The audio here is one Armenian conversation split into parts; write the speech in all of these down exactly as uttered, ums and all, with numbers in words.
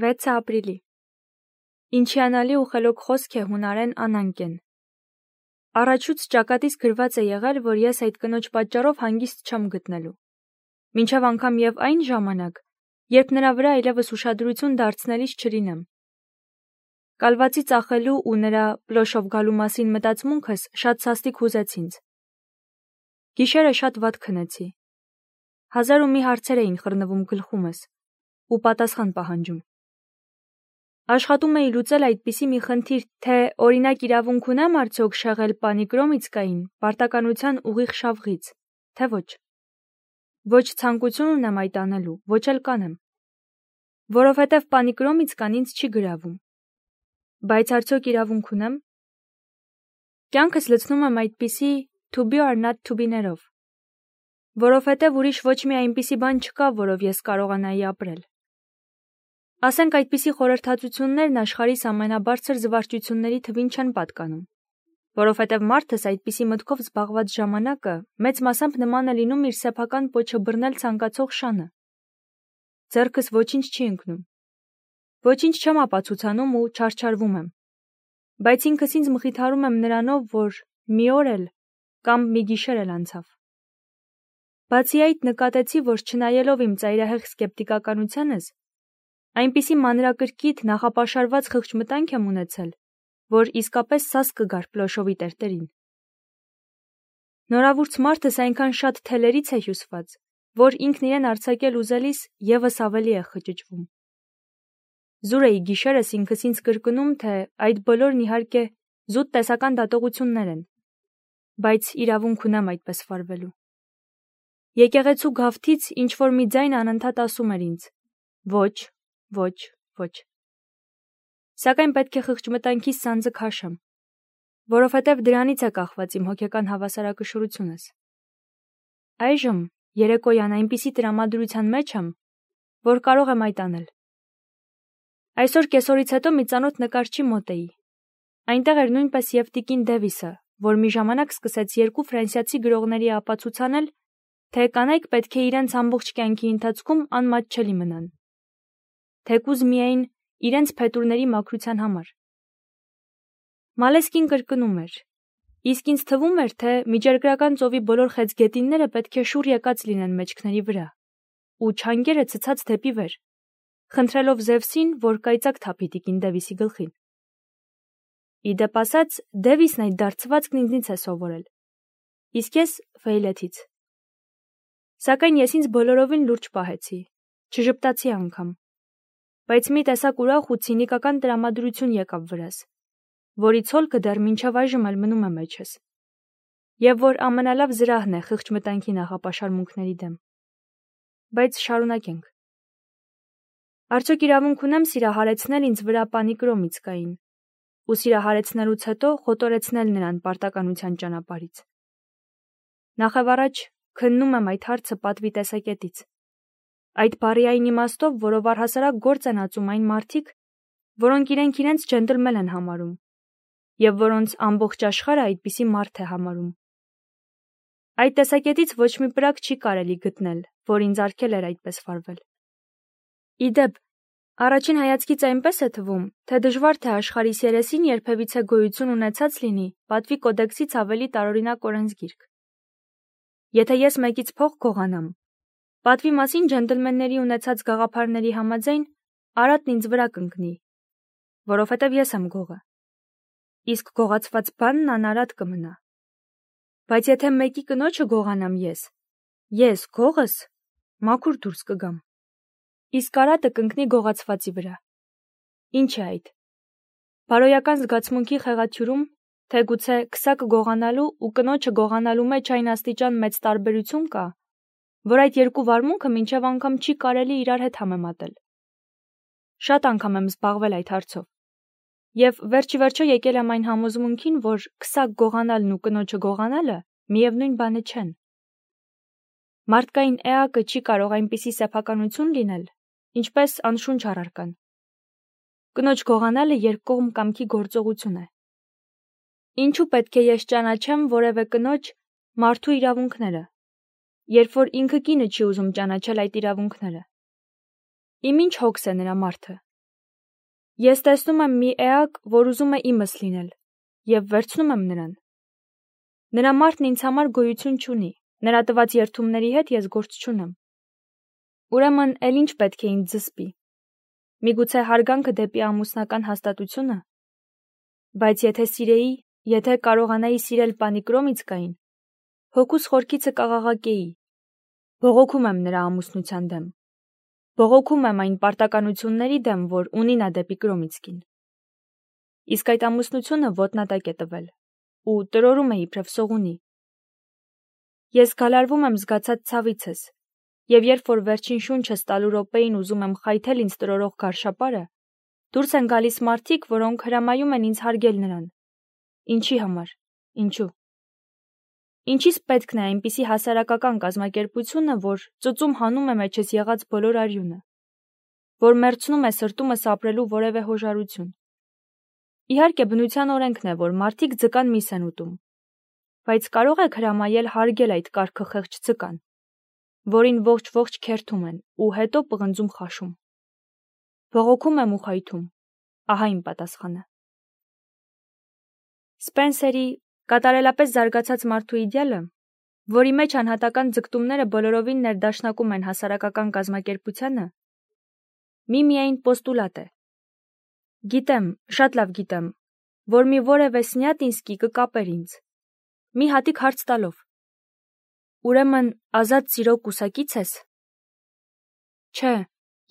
վեցը ապրիլի։ Ինչյանալի ու խելոք խոսք է հունարեն անանկեն։ Առաջուց ճակատից գրված է եղել, որ ես այդ կնոջ պատճառով հանգիստ չեմ գտնելու։ Մինչև անգամ եւ այն ժամանակ, երբ նրա վրա այլևս ուշադրություն դարձնելիս չլինեմ։ Կալվածի ծախելու ու նրա պլոշով գալու մասին մտածմունքս շատ սաստիկ հուզեց ինձ։ Գիշերը շատ վատ քնեցի։ Հազար ու մի հարցեր էին խռնվում գլխումս ու պատասխան պահանջում։ Աշխատում էի լուծել այդպիսի մի խնդիր, թե օրինակ իրավունք ունեմ արդյոք շեղել պանիկրոմիցկային պարտականության ուղիղ շավղից, թե ոչ։ Ոչ ցանկություն ունեմ այդ անելու, ոչ էլ կանեմ։ Որովհետև պանիկրոմիցկան ինձ չի գրավում։ Բայց արդյոք իրավունք ունեմ։ Կյանքս լցնում եմ այդպիսի to be or not to be-ներով, որովհետև ուրիշ ոչ մի այնպիսի բան չկա, որով ես կարողանայի ապրել։ Ասենք այդպիսի խորհրդածություններն աշխարհիս ամենաբարձր զվարճությունների թվին չեն պատկանում, որովհետև մարդս այդպիսի մտքով զբաղված ժամանակը մեծ մասամբ նման է լինում իր սեփական պոչը բռնել ցանկացող շանը։ Ձեռքս ոչինչ չի ընկնում։ Ոչինչ չեմ ապացուցանում ու չարչարվում եմ։ Բայց ինքս ինձ մխիթարում եմ նրանով, որ մի օր էլ կամ մի գիշեր էլ անցավ։ Բացի այդ նկատեցի, որ չնայելով իմ ծայրահեղ սկեպտիկականությանս, այնպիսի մանրակրկիտ նախապաշարված խղճմտանք եմ ունեցել, որ իսկապես սաս կգար պլոշովի տերտերին։ Նորավուրց մարդս այնքան շատ թելերից է հյուսված, որ ինքն իրեն արձակել ուզելիս եւս ավելի է խճճվում։ Զուր էի գիշերս ինքս ինձ կրկնում, թե այդ բոլորն իհարկե զուտ տեսական դատողություններ են, բայց իրավունք ունեմ այդպես վարվելու։ Եկեղեցու գավթից ինչ որ մի ձայն անընդհատ ասում էր ինձ. ոչ, ոչ, ոչ։ Սակայն պետք է խղճմտանքիս սանձը քաշեմ, որովհետև դրանից է կախված իմ հոգեկան հավասարակշռությունս։ Այժմ երեկոյան այնպիսի տրամադրության մեջ եմ, որ կարող եմ այդ անել։ Այսօր կեսօրից հետո մի ծանոթ նկարչի մոտ էի։ Այնտեղ էր նույնպես եւ տիկին Դևիսը, որ մի ժամանակ սկսեց երկու ֆրանսիացի գրողների ապացուցանել, թե կանայք պետք է իրենց ամբողջ կյանքի ընթացքում անմատչելի մնան, թեկուզ միայն իրենց փետուրների մաքրության համար։ Մալեսկին կրկնում էր. իսկ ինձ թվում էր, թե միջերկրական ծովի բոլոր խեցգետինները պետք է շուռ եկած լինեն մեջքների վրա, ու չանգերը ցցած դեպի վեր, խնդրելով Զևսին, որ կայծակ թափի տիկին Դևիսի գլխին։ Իդեպ ասած, Դևիսն այդ դարձվածքն ինձնից է սովորել, իսկ ես Ֆեյլեթից։ Սակայն ես ինձ բոլորովին լուրջ պահեցի, չժպտացի անգամ, բայց մի տեսակ ուրախ ու ցինիկական տրամադրություն եկավ վրաս, որի ցոլքը դեռ մինչև այժմ էլ մնում է մեջս, եւ որ ամենալավ զրահն է խղճմտանքի նախապաշարմունքների դեմ։ Բայց շարունակենք։ Արդյոք իրավունք ունեմ սիրահարեցնել ինձ վրա պանիկրոմիցկային ու սիրահարեցնելուց հետո խոտորեցնել նրան պարտականության ճանապարհից։ Նախևառաջ քննում եմ այդ հարցը պատվի տեսակետից։ Այդ բառի այն իմաստով, որով առհասարակ գործ են ածում այն մարդիկ, որոնք իրենք իրենց ջենտլմեն են համարում, եւ որոնց ամբողջ աշխարհը այդպիսի մարդ է համարում։ Այդ տեսակետից ոչ մի պրակ չի կարելի գտնել, որ ինձ արգել էր այդպես վարվել։ Իդեպ, առաջին հայացքից այնպես է թվում, թե դժվար թե աշխարհիս երեսին երբևիցե գոյություն ունեցած լինի պատվի կոդեքսից ավելի տարօրինակ օրենսգիրք։ Եթե ես մեկից փող գողանամ, պատվի մասին ջենտլմենների ունեցած գաղափարների համաձայն արատն ինձ վրա կընկնի, որովհետև ես եմ գողը։ Իսկ գողացված բանն անարատ կմնա։ Բայց եթե մեկի կնոջը գողանամ ես, ես գողս մաքուր դուրս կգամ։ Իսկ արատը կընկնի գողացվածի վրա։ Ինչ է այդ։ Բարոյական զգացմունքի խեղաթյուրում, թե գուցե քսակ գողանալու ու կնոջը գողանալու մեջ այն աստիճան մեծ տարբերություն կա, որ այդ երկու վարմունքը մինչև անգամ չի կարելի իրար հետ համեմատել։ Շատ անգամ եմ զբաղվել այդ հարցով։ Եվ վերջի վերջո եկել եմ այն համոզմունքին, որ քսակ գողանալն ու կնոջը գողանալը միևնույն բանը չեն։ Մարդկային էակը չի կարող այնպիսի սեփականություն լինել, ինչպես անշունչ առարկան։ Կնոջ գողանալը երկկողմ կամքի գործողություն է։ Ինչու պետք է ես ճանաչեմ որևէ կնոջ մարդու իրավունքները, երբ որ ինքը կինը չի ուզում ճանաչել այդ իրավունքները։ Իմ ինչ հոգս է նրա մարդը, Ես տեսնում եմ մի էակ, որ ուզում է իմս լինել, և վերցնում եմ նրան։ Նրա մարդն ինձ համար գոյություն չունի, նրա տված երդումների հետ ես գործ չունեմ։ Ուրեմն էլ ինչ պետք է ինձ զսպի։ Միգուցե հարգանքը դեպի ամուսնական հաստատությունը։ Բայց եթե սիրեի, եթե կարողանայի սիրել պանիկրոմից կային, հոգուս խորքիցը կաղաղակեի, բողոքում եմ նրա ամուսնության դեմ, բողոքում եմ այն պարտականությունների դեմ, որ ունի նա դեպի Կրոմիցկին։ Իսկ այդ ամուսնությունը ոտնատակ է տվել, ու տրորում է իբրև սողունի։ Ես գալարվում եմ զգացած ցավիցս, և երբ որ վերջին շունչս տալու րոպեին ուզում եմ խայթել ինձ տրորող գարշապարը, դուրս են գալիս մարդիկ, որոնք հրամայում են ինձ հարգել նրան։ Ինչի համար, ինչու։ Ինչիս պետքն է այնպիսի հասարակական կազմակերպությունը, որ ծուծում հանում է մեջս եղած բոլոր արյունը, որ մերձնում է սրտումս ապրելու որևէ հոժարություն։ Իհարկե բնության օրենքն է, որ մարդիկ ձկան միս են ուտում, բայց կարող եք հրամայել հարգել այդ կարգը խեղճ ձկան, որին ողջ-ողջ քերթում են ու հետո պղնձում խաշում։ Բողոքում եմ ու խայթում, ահա իմ պատասխանը։ Սպենսերի կատարելապես զարգացած մարդու իդեալը, որի մեջ անհատական ձգտումները բոլորովին ներդաշնակում են հասարակական կազմակերպությանը, մի-միայն պոստուլատ է։ Գիտեմ, շատ լավ գիտեմ, որ մի որևէ Սնյատինսկի կկապեր ինձ, մի հատիկ հարց տալով. Ուրեմն ազատ սիրո կուսակից ես։ Չէ,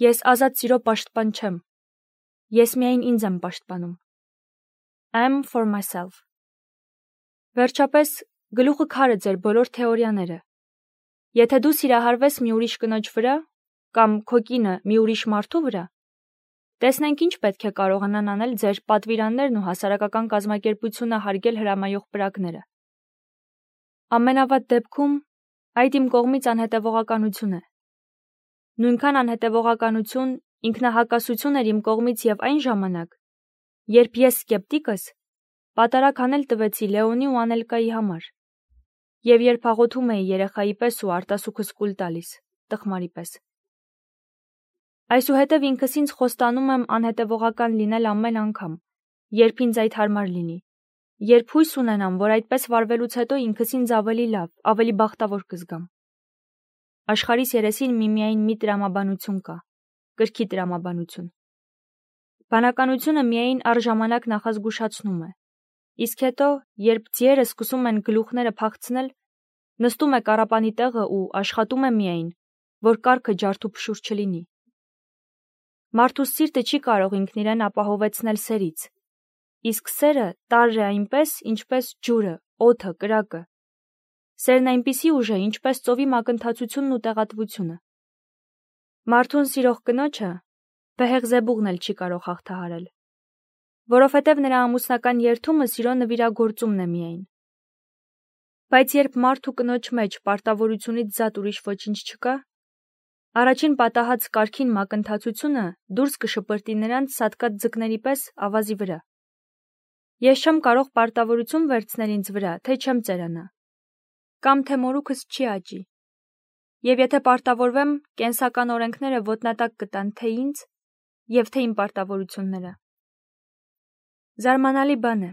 ես ազատ սիրո պաշտպան չեմ։ Ես միայն ինձ եմ պաշտպանում։ I'm for myself։ Վերջապես, գլուխը քարը ձեր բոլոր թեորիաները։ Եթե դու սիրահարվես մի ուրիշ կնոջ վրա, կամ քո կինը մի ուրիշ մարդու վրա, տեսնենք ինչ պետք է կարողանան անել ձեր պատվիրաններն ու հասարակական կազմակերպությունը հարգել հրամայող պրակները։ Ամենավատ դեպքում այդ իմ կողմից անհետևողականություն է։ Նույնքան անհետևողականություն, ինքնահակասություն էր իմ կողմից և այն ժամանակ, երբ ես սկեպտիկս պատարագ անել տվեցի Լեոնի ու Անելկայի համար, և երբ աղոթում էի երեխայի պես ու արտասուքս կուլ տալիս, տխմարի պես։ Այսուհետև ինքս ինձ խոստանում եմ անհետևողական լինել ամեն անգամ, երբ ինձ այդ հարմար լինի, երբ հույս ունենամ, որ այդպես վարվելուց հետո ինքս ինձ ավելի լավ, ավելի բախտավոր կզգամ։ Աշխարհիս երեսին միմիայն մի տրամաբանություն կա, կրքի տրամաբանություն։ Բանականությունը միայն առժամանակ նախազգուշացնում է, իսկ հետո, երբ ձիերը սկսում են գլուխները փախցնել, նստում է կառապանի տեղը ու աշխատում է միայն, որ կառքը ջարդ ու փշուր չլինի։ Մարդու սիրտը չի կարող ինքն իրեն ապահովեցնել սերից, իսկ սերը տարր է այնպես, ինչպես ջուրը, օդը, կրակը։ Սերն այնպիսի ուժ է, ինչպես ծովի մակընթացությունն ու տեղատվությունը։ Մարդուն սիրող կնոջը Բեհեղզեբուղն էլ չի կարող հաղթահարել, որովհետև նրա ամուսնական երդումը սիրո նվիրագործումն է միայն։ Բայց երբ մարդու կնոջ մեջ պարտավորությունից զատ ուրիշ ոչինչ չկա, առաջին պատահած կարգին մակընթացությունը դուրս կշպրտի նրանց սատկած ձկների պես ավազի վրա։ Ես չեմ կարող պարտավորություն վերցնել ինձ վրա, թե չեմ ծերանա, կամ թե մորուքս չի աճի։ Եվ եթե պարտավորվեմ, կենսական օրենքները ոտնատակ կտան թե ինձ, և թե իմ պարտավորությունները։ Զարմանալի բան է։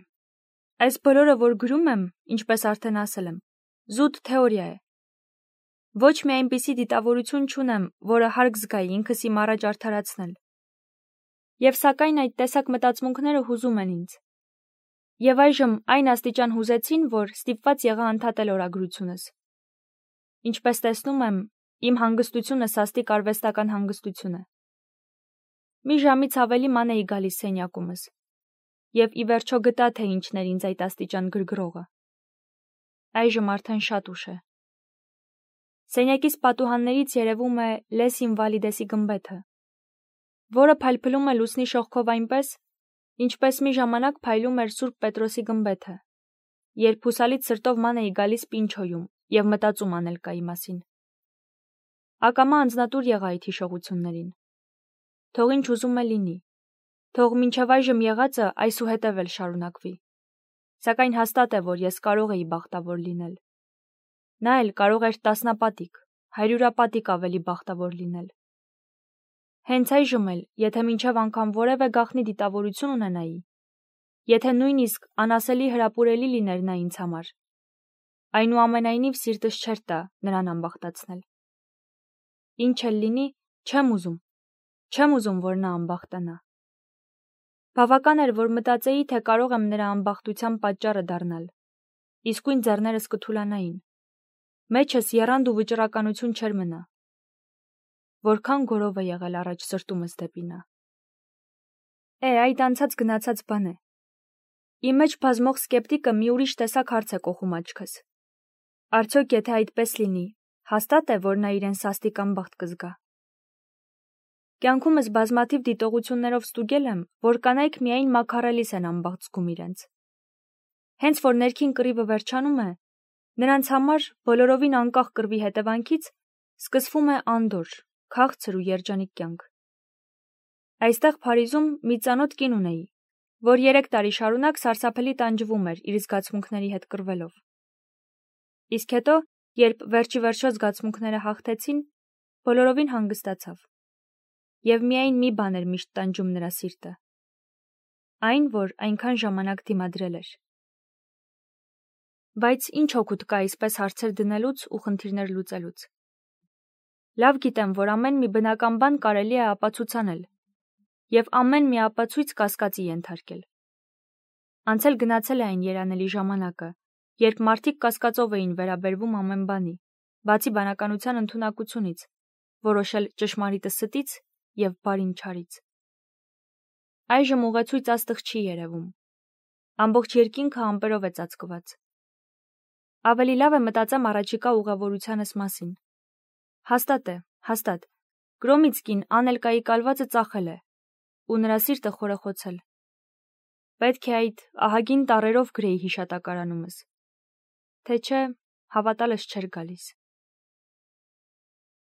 Այս բոլորը, որ գրում եմ, ինչպես արդեն ասել եմ, զուտ թեորիա է։ Ոչ մի այնպիսի դիտավորություն չունեմ, որը հարկ զգայի ինքս իմ առաջ արդարացնել։ Եվ սակայն այդ տեսակ մտածմունքները հուզում են ինձ։ Եվ այժմ այն աստիճան հուզեցին, որ ստիպված եղա ընդհատել օրագրությունս։ Ինչպես տեսնում եմ, իմ հանգստությունը սաստիկ արվեստական հանգստություն է։ Մի ժամից ավելի ման էի գալիս սենյակումս, և ի վերջո գտա, թե ինչն էր ինձ այդ աստիճան գրգռողը։ Այժմ արդեն շատ ուշ է։ Սենյակիս պատուհաններից երևում է Լես Ինվալիդեսի գմբեթը, որը փայլփլում է լուսնի շողքով այնպես, ինչպես մի ժամանակ փայլում էր Սուրբ Պետրոսի գմբեթը, երբ հուսալից սրտով ման էի գալիս Պինչոյում և մտածում Անելկայի մասին։ Ակամա անձնատուր եղա այդ հիշողություններին։ Թող ինչ ուզում է լինի, թող մինչև այժմ եղածը այսուհետև էլ շարունակվի, սակայն հաստատ է, որ ես կարող էի բախտավոր լինել։ Նա էլ կարող էր տասնապատիկ, հարյուրապատիկ ավելի բախտավոր լինել։ Հենց այժմ էլ, եթե մինչև անգամ որևէ գաղտնի դիտավորություն ունենայի, եթե նույնիսկ անասելի հրապուրելի լիներ նա ինձ համար, այնուամենայնիվ սիրտս չէր տա նրան անբախտացնել։ Ինչ էլ լինի, չեմ ուզում, չեմ ուզում, որ նա անբախտանա։ Բավական էր, որ մտածեի, թե կարող եմ նրա անբախտության պատճառը դառնալ, իսկույն ձեռներս կթուլանային, մեջս եռանդ ու վճռականություն չէր մնա։ Որքան գորով է եղել առաջ սրտումս դեպի նա։ Է, այդ անցած գնացած բան է։ Իմ մեջ բազմող սկեպտիկը մի ուրիշ տեսակ հարց է կոխում աչքս։ Արդյոք եթե այդպես լինի, հաստատ է, որ նա իրեն սաստիկ անբախտ կզգա։ Կյանքումս բազմաթիվ դիտողություններով ստուգել եմ, որ կանայք միայն մաքարելիս են անբախտ զգում իրենց։ Հենց որ ներքին կռիվը վերջանում է, նրանց համար բոլորովին անկախ կռվի հետևանքից սկսվում է անդորր, քաղցր ու երջանիկ կյանք։ Այստեղ Փարիզում մի ծանոթ կին ունեի, որ երեք տարի շարունակ սարսափելի տանջվում էր իր զգացմունքների հետ կռվելով։ Իսկ հետո, երբ վերջի վերջո զգացմունքները հաղթեցին, բոլորովին հանգստացավ։ Եվ միայն մի բան էր միշտ տանջում նրա սիրտը։ Այն, որ այնքան ժամանակ դիմադրել էր։ Բայց ինչ օգուտ կա այսպես հարցեր դնելուց ու խնդիրներ լուծելուց։ Լավ գիտեմ, որ ամեն մի բնական բան կարելի է ապացուցանել, և ամեն մի ապացույց կասկածի ենթարկել։ Անցել գնացել է այն երանելի ժամանակը, երբ մարդիկ կասկածով էին վերաբերվում ամեն բանի, բացի բանականության ընդունակությունից, որոշել ճշմարիտը ստից և բարին չարից։ Այժմ ուղեցույց աստղ չի երևում։ Ամբողջ երկինքը ամպերով է ծածկված։ Ավելի լավ է մտածեմ առաջիկա ուղևորությանս մասին։ Հաստատ է, հաստատ, Գրոմիցկին Անելկայի կալվածը ծախել է, ու նրա սիրտը խորეხոցել։ Պետք է այդ ահագին տառերով գրեի հիշատակարանումս, թե չէ հավատալս չէր գալիս։